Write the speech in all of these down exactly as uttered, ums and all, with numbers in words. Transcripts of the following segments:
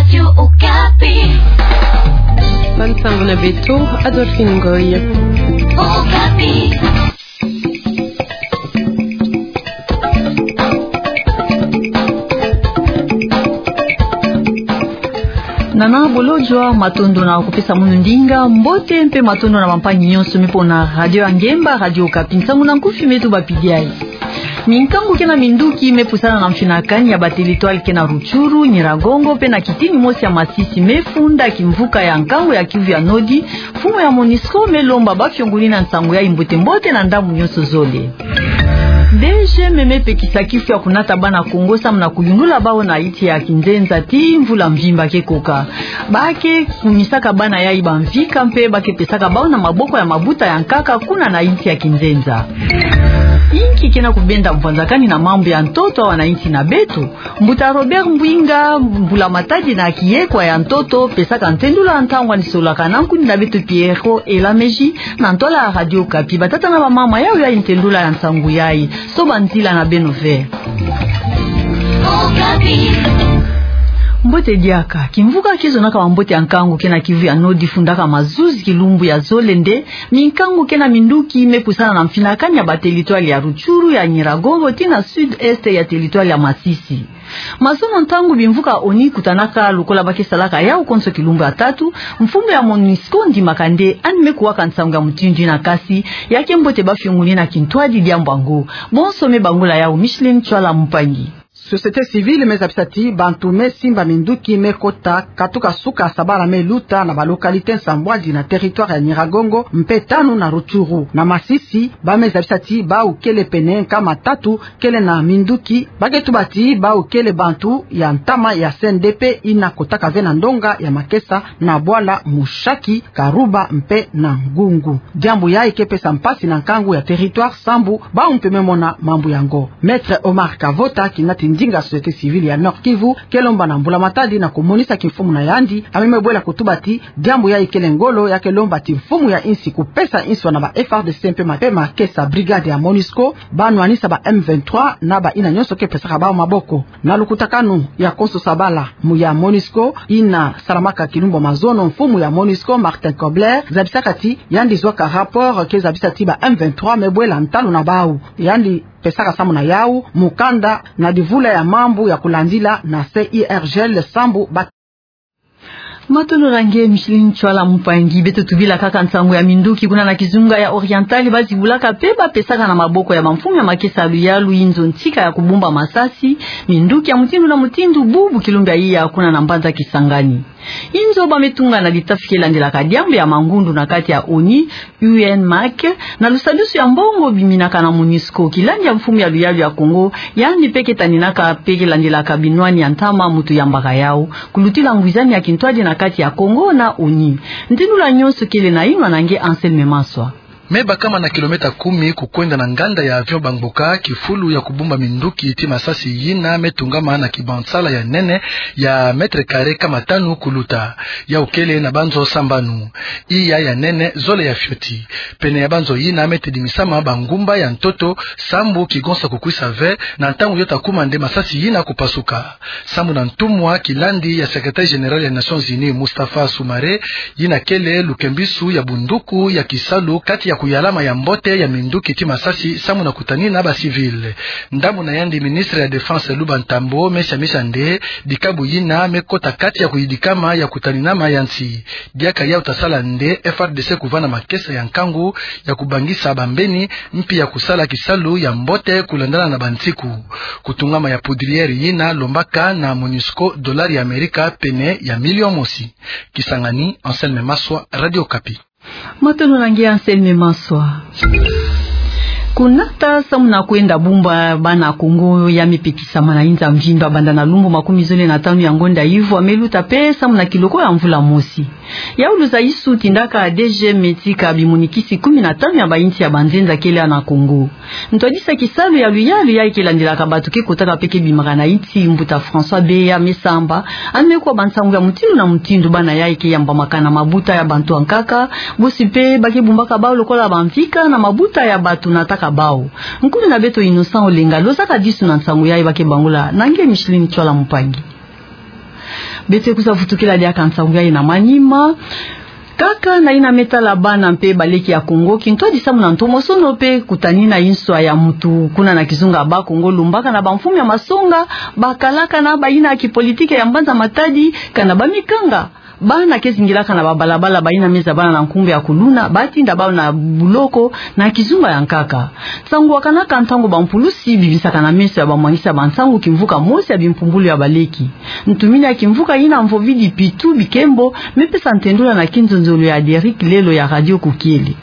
Radio Okapi. Bansango na beto, Adolphine Ngoy. Okapi. Nana bolodjwa, matondo na kupesa munu ndinga, mbote mpe matondo na bampangi nyonso me pona radio ya ngemba, Radio Okapi. Nsangu na nkufi me tubapidi ayi. Minkangu ke na minduki me pusana na mfinakani ya ba territoire ke na Rutshuru, Nyiragongo, mpe na kitini mosi ya Masisi me funda kimvuka ya nkangu ya Kivu ya Nord, mfumu ya MONUSCO me lomba ba fiongoli na nsangu yayi mbote-mbote na ndambu nyonso zole. DGM me pekisa kifu ya kunata bana Kongo samu na kuyundula bawu na insi ya kinzenza tii mvula mvimba ke koka. Ba ke kumisaka bana yayi bamvika mpe ba ke pesaka bawu na maboko ya mabuta ya nkaka kuna na insi ya kinzenza. Inki ke na kubenda mvwanzakani na mambu ya ntoto awa na insi na beto? Mbuta Robert Mbwinga, mbula-matadi na kiyekwa ya ntoto, pesaka ntendula ntangu andi solaka na nkundi na beto Pierrot Elameji, na ntwala ya Radio Okapi. Batata na bamama, yawu yayi ntendula ya nsangu yayi. Sobanzila na beno ve. Mbote diaka. Kimvuka kizonaka bambote ya nkangu ke na Kivu ya Nord fundaka mazuzi kilumbu ya zole nde minkangu ke na minduki me pusana na mfinakani ya ba territoire ya Rutshuru, ya Nyiragongo, tii na sud-est ya territoire ya Masisi. Mazono ntangu bimvuka ONU kutanaka lokola ba ke salaka yawu konso kilumbu ya tatu, mfumu ya MONUSCO ndimaka nde yandi me kuwaka nsangu ya mutindu yina, kasi ya ke mbote ba fiongoli na kintwadi diambu yango. Bonso me bangula yawu Micheline Tshoala Mpangi. Société civile me zabisa ti bantu me simba minduki me kota katuka suka sabala me luta na ba localité nsambwadi na territoire ya Nyiragongo mpe tanu na Rutshuru. Na Masisi, ba me zabisa ti bawu kele pene nkama tatu kele na minduki, ba ke tuba ti bawu kele bantu ya ntama ya C N D P yina kotaka ve na ndonga ya makesa na bwala Mushaki, Karuba mpe na Ngungu. Diambu yayi ke pesa mpasi na nkangu ya territoire sambu bawu mpe me mona mambu yango. Maître Omar Kavota, kinati ndinga société civile ya Nord-Kivu, ke lomba na mbula-matadi na kumonisa kimfumu na yandi, a me me bwela kutuba ti diambu yayi kele ngolo, ya ke lomba ti mfumu ya insi kupesa inswa na ba F A R D C mpe ma-, mpe makesa brigade ya MONUSCO, ba nwanisa ba M vingt-trois na bayina nyonso ke pesaka bawu maboko. Na lukutakanu ya konso sabala, mu ya MONUSCO yina salamaka kilumbu ya mazono, mfumu ya MONUSCO Martin Kobler zabisaka ti yandi zwaka rapport ke zabisa ti ba M vingt-trois me bwela ntalu na bawu. Yandi pesaka samu na yawu mukanda na divula ya mambu ya kulandila na C I R G L sambu ba Matondo na nge Micheline Tshoala Mpangi. Beto tubila kaka nsangu ya minduki kuna na kizunga ya Oriental, ba zibulaka mpe ba pesaka na maboko ya bamfumu ya makesa ya luyalu inzo ntika ya kubumba masasi, minduki ya mutindu na mutindu, bubu kilumbu ya iya kuna na mbanza Kisangani. Inzo ba me tunga na litafi ke landilaka diambu ya mangundu na kati ya ONU, U N MAK, na lusadusu ya mbongo biminaka na MONUSCO, kilandi ya mfumu ya luyalu ya Kongo, yandi mpe ke taninaka mpe ke landilaka binwani ya ntama mutu yambaka yawu, kulutila ngwizani ya kintwadi na kati ya Kongo na ONU. Ntendula nyonso kele na inwa na nge Anselme Maswa. Me bakama na kilomètre kumi kukwenda na nganda ya avion Bangboka, kifulu ya kubumba minduki ti masasi yina me tungama na kibansala ya nene ya mètre carré kama tanu kuluta. Yawu kele na banzo sambanu. Iya ya nene, zole ya fioti. Pene ya banzo yina me tedimisama bangumba ya ntoto, sambu kigonsa kukwisa ve na ntangu yo ta kuma nde masasi yina kupasuka. Sambu na ntumwa kilandi ya secrétaire général ya Nations Unies, Mustafa Soumaré, yina kele lukembisu ya bunduku ya kisalu kati ya kuyalama ya mbote ya minduki ti masasi sambu na kutanina ba civils. Ndambu na yandi ministre ya Défense Luba Ntambo me siamisa nde dikabu yina me kota kati ya kuyidikama ya kutaninama ya nsi. Diaka yawu ta sala nde F R D C kuvanda makesa ya nkangu ya kubangisa bambeni, mpi ya kusala kisalu ya mbote kulandana na bansiku. Kutungama ya poudrière yina lombaka na MONUSCO dollar ya Amerika pene ya million mosi. Kisangani, Anselme Maswa, Radio Okapi. Matondo na nge Anselme Maswa. Kunata samu na kwenda bumba bana Kongo ya me pekisama na inza mvimba banda na lumbu makumi zole na tanu ya ngonda ivwa me luta mpe samu na kiloko ya mvula mosi. Yawu luzaisu tindaka D G M me tika bimunikisi kumi na tanu ya bainsi ya banzenza kele na Kongo. Ntwadisa kisalu ya luyalu yayi ke landilaka batu ke kotaka mpe ke bimaka na insi, mbuta François Beya me samba, yandi me kuwa bansangu ya mutindu na mutindu bana yayi ke yambamaka na mabuta ya bantu ya nkaka, bosi mpe ba ke bumbaka bawu lokola bamvika na mabuta ya batu nataka bawu. Nkumbu na beto Innocent Olenga, lozaka disu na nsangu yayi ba ke bangula na nge Micheline Tshoala Mpangi. Beto kwiza vutukila diaka nsangu yayi na manima. Kaka na yina me tala bana mpe baleki ya Kongo, kintwadi samu na ntomosono mpe kutanina inswa ya muntu kuna na kizunga Bas-Congo, lumbaka na bamfumu ya masonga, bakalaka na bayina ya kipolitike ya mbanza Matadi, kana bamikanga. Bana ke zingilaka na babalabala, bayina me zabana na nkumbu ya kuluna, batinda bawu na buloko na kizunga ya nkaka. Nsangu wakanaka ntangu bampulusi bibisaka na meso ya bamwangisi ya bansangu kimvuka mosi ya bimpumbulu ya baleki. Ntumini ya kimvuka yina Mvovidi Pitu Bikembo me pesa ntendula na kinzonzolo ya Derrick Lelo ya Radio Kukiele.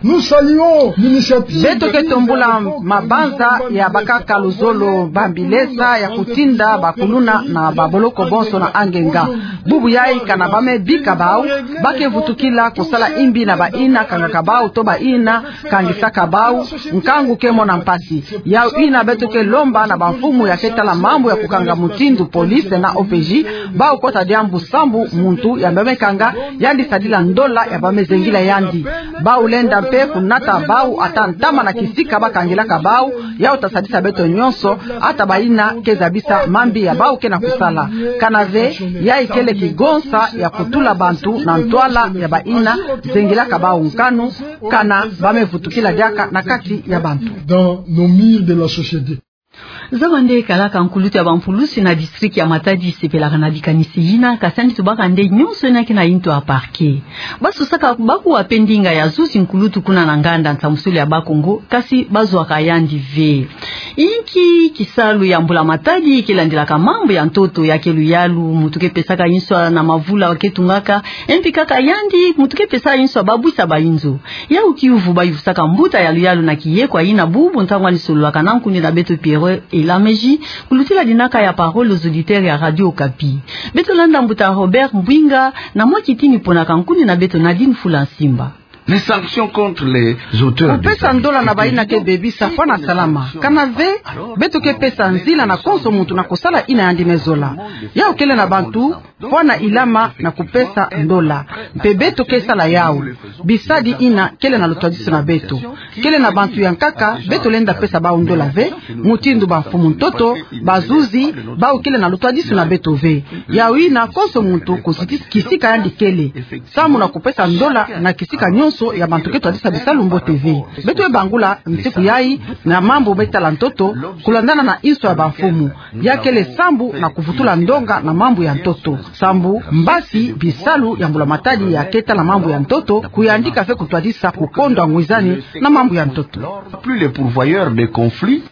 Nous saluons l'initiative. Beto ke tombula mabanza ya bakaka luzolo Bambi Lesa ya kutinda bakuluna na baboloko bonso na angenga. Bubu yayi kana ba me bika bawu, ba ke vutukila kusala imbi na bayina kangaka bawu to bayina kangisaka bawu, nkangu ke mona mpasi. Yawu yina beto ke lomba na bamfumu ya ke tala mambu ya kukanga mutindu police na O P J, bawu kota diambu sambu muntu ya ba me kanga, yandi sadila ndola ya ba me zengila yandi. Bawu lenda mpe kunata bawu ata ntama na kisika ba kangilaka bawu, yawu ta sadisa beto nyonso, ata bayina ke zabisa mambi ya bawu ke na kusala. Kana ve, yayi kele kigonsa ya kutula bantu na ntwala ya bayina zengilaka bawu nkanu, kana ba me vutukila diaka na kati ya bantu. Dans nos murs de la société. Zaba nde kalaka nkulutu ya bampulusi na district ya Matadi sepelaka na likanisi yina, kasi yandi tubaka nde nyonso yina ke na yintu ya parquet. Ba susaka bakuwa mpe ndinga ya zuzi nkulutu kuna na nganda nsambusulu ya Bas-Congo, kasi ba zwaka yandi ve. Inki kisalu ya mbula Matadi ke landilaka mambu ya ntoto? Ya ke luyalu muntu ke pesaka inswa na mavula ke tungaka, e mpi kaka yandi muntu ke pesa inswa babwisa bayinzo. Yawu kiuvu ba yuvusaka mbuta ya luyalu na kiyekwa yina bubu ntangu yandi sololaka na nkundi na beto Pierrot Elameji, kulutila dinaka ya Parole aux auditeurs ya Radio Okapi. Beto landa mbuta Robert Mbwinga na mwa kitini pona ka nkundi na beto Nadine Fula Nsimba. Les sanctions contre les auteurs de... Kupesa ndola na bayina ke bebisa fwana salama. Kana ve, beto ke pesa nzila na konso muntu na kusala yina yandi me zola. Yawu kele na bantu fwana ilama na kupesa ndola. Mpe beto ke sala yawu. Bisadi yina kele na lutwadisu na beto. Kele na bantu ya nkaka beto lenda pesa bawu ndola ve, mutindu bamfumu ntoto, bazuzi, bawu kele na lutwadisu na beto ve. Yawu yina konso muntu ku siti-, kisika yandi kele, samu na kupesa ndola na kisika nyonso ya bantu ke twadisa bisalu mbote ve. Beto me bangula nsiku yayi na mambu me tala ntoto, kulandana na inswa ya bamfumu. Ya kele sambu na kuvutula ndonga na mambu ya ntoto. Sambu mbasi bisalu ya mbula Matadi ya ke tala mambu ya ntoto, kuyandika ve kutwadisa kukondwa ngwizani na mambu ya ntoto. Plus les pourvoyeurs de conflits.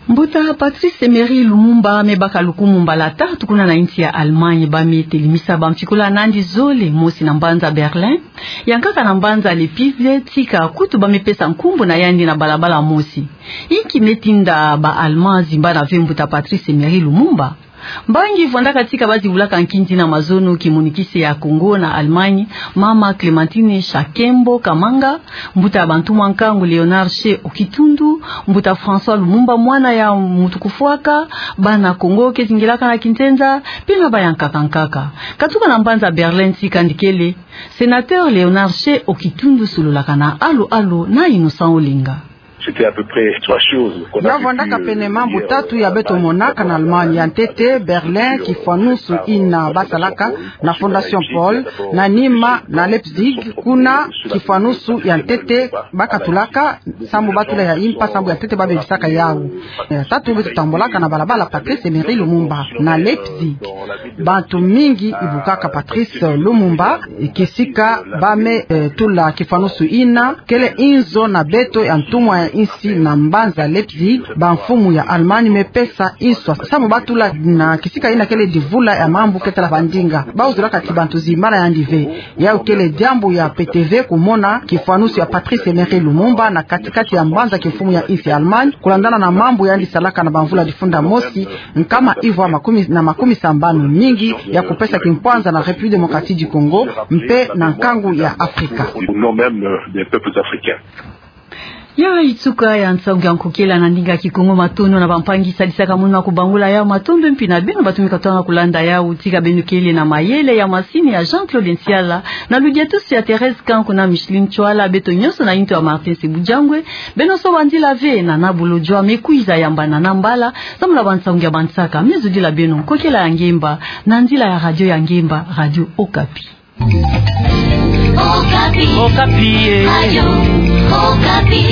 Mbuta Patrice Emery Lumumba me baka lukumu mbala tatu kuna na insi ya Allemagne. Ba me telemisa bampikola na yandi zole, mosi na mbanza Berlin, ya nkaka na mbanza Leipzig, tika kutu ba me pesa nkumbu na yandi na balabala mosi. Inki me tinda ba Allemands zimbana ve mbuta Patrice Emery Lumumba? Mbangi vwandaka tika ba zibulaka nkindi na mazono kimonikisi ya Congo na Allemagne, mama Clémentine Shakembo Kamanga, mbuta ya bantumwa nkangu Léonard She Okitundu, mbuta François Lumumba, mwana ya muntu kufwaka, bana Congo ke zingilaka na kinzenza, mpe na bayankaka nkaka. Katuka na mbanza Berlin tika yandi kele, sénateur Léonard She Okitundu sololaka na Allô Allô na Innocent Olenga. C'était à peu près trois choses qu'on a... Ya vwandaka pene mambu tatu ya beto monaka na Allemagne. Ya ntete, Berlin, kifwanusu yina ba salaka na Fondation Paul, na nima na Leipzig, kuna kifwanusu ya ntete ba katulaka, sambu ba tula ya impa, sambu ya ntete ba bebisaka yawu. Ya tatu, beto tambolaka na balabala Patrice Emery Lumumba na Leipzig. Bantu mingi ibukaka Patrice Lumumba, kisika ba me, eh, tula kifwanusu yina, kele inzo na beto ya ntumwa ya insi na mbanza Leipzig, bamfumu ya Allemagne me pesa inswa, sambu ba tula na kisika yina kele divula ya mambu ke tala bandinga. Ba uzulaka ti bantu zimbana yandi ve. Yawu kele diambu ya pete ve kumona kifwanusu ya Patrice Emery Lumumba na kati-kati ya mbanza kimfumu ya insi Allemagne, kulandana na mambu yandi salaka na bamvula difunda mosi, nkama ivwa makumi, na makumi sambanu, mingi ya kupesa kimpwanza na République démocratique du Congo, mpe na nkangu ya Afrika. Au nom même, euh, des peuples africains. Ya nsuka ya nsangu ya nkokela na ndinga Kikongo. Matondo na bampangi sadisaka munu kubangula yau. Matondo mpi na beno batumika twanga kulanda yau. Tika beno kele na mayele ya masini ya Jean-Claude Nsiala, na ludiatusu ya Thérèse Kanku na Micheline Tswala, beto nyonso na intu ya Martin Sebujangwe. Beno soba nzila ve na Nabolo Jwa, me kwiza yambana na mbala, samu na bansangu ya bansaka. Me zodila beno nkokela ya ngemba, na nzila ya radio ya ngemba, Radio Okapi. Okapi. Okapi, eh. Radio Okapi.